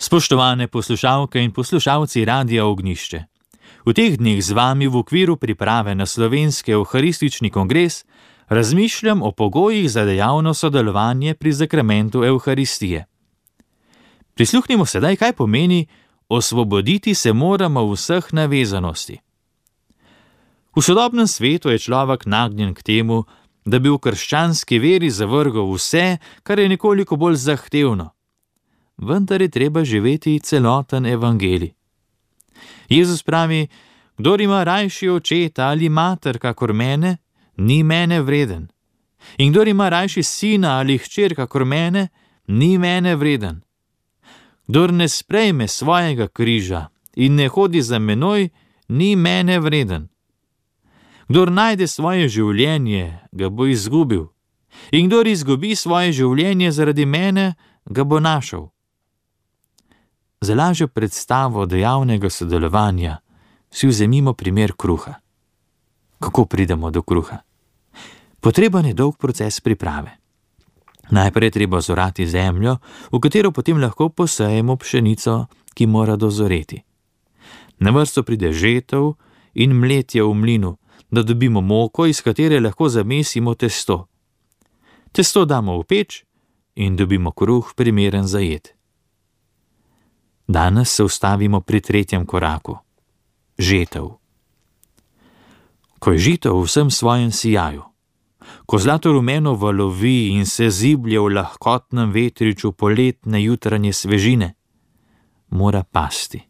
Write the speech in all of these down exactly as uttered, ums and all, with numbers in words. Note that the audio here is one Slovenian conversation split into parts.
Spoštovane poslušalke in poslušalci Radia Ognjišče, v teh dneh z vami v okviru priprave na slovenski evharistični kongres razmišljam o pogojih za dejavno sodelovanje pri zakramentu Evharistije. Prisluhnimo sedaj, kaj pomeni osvoboditi se moramo vseh navezanosti. V sodobnem svetu je človek nagnjen k temu, da bi v krščanski veri zavrgal vse, kar je nekoliko bolj zahtevno. Vendar je treba živeti celoten evangelij. Jezus pravi, kdor ima rajši očeta ali mater kakor mene, ni mene vreden. In kdor ima rajši sina ali hčer kakor mene, ni mene vreden. Kdor ne sprejme svojega križa in ne hodi za menoj, ni mene vreden. Kdor najde svoje življenje, ga bo izgubil. In kdor izgubi svoje življenje zaradi mene, ga bo našel. Za lažjo predstavo dejavnega sodelovanja si vzemimo primer kruha. Kako pridemo do kruha? Potreben je dolg proces priprave. Najprej je treba zorati zemljo, v katero potem lahko posejemo pšenico, ki mora dozoreti. Na vrsto pride žetev in mletje v mlinu, da dobimo moko, iz katere lahko zamesimo testo. Testo damo v peč in dobimo kruh, primeren za jed. Danes se ustavimo pri tretjem koraku. Žetev. Ko je žito v vsem svojem sijaju, ko zlato rumeno valovi in se ziblje v lahkotnem vetriču poletne jutranje svežine, mora pasti.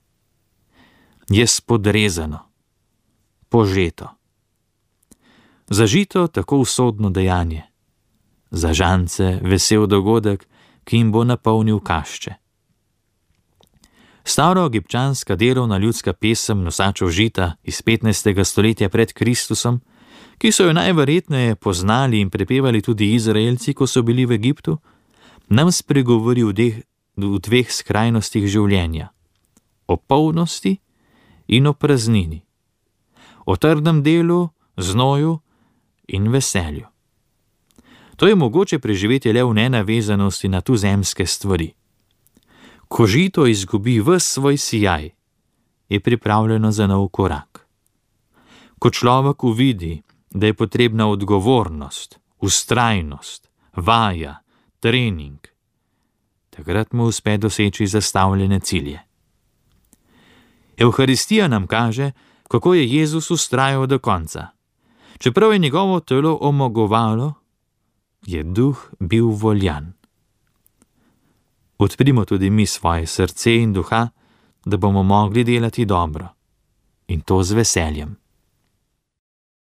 Je spodrezano, požeto. Za žito tako usodno dejanje, za žance vesel dogodek, ki jim bo napolnil kašče. Staroegipčanska delovna ljudska pesem nosačev žita iz petnajstega stoletja pred Kristusom, ki so jo najverjetneje poznali in prepevali tudi Izraelci, ko so bili v Egiptu, nam spregovori v, deh, v dveh skrajnostih življenja, o polnosti in o praznini, o trdem delu, znoju in veselju. To je mogoče preživeti le v nenavezanosti na tuzemske stvari. Ko žito izgubi ves svoj sijaj, je pripravljeno za nov korak. Ko človek uvidi, da je potrebna odgovornost, vztrajnost, vaja, trening, takrat mu uspe doseči zastavljene cilje. Evharistija nam kaže, kako je Jezus vztrajal do konca. Čeprav je njegovo telo omogovalo, je duh bil voljan. Odprimo tudi mi svoje srce in duha, da bomo mogli delati dobro, in to z veseljem.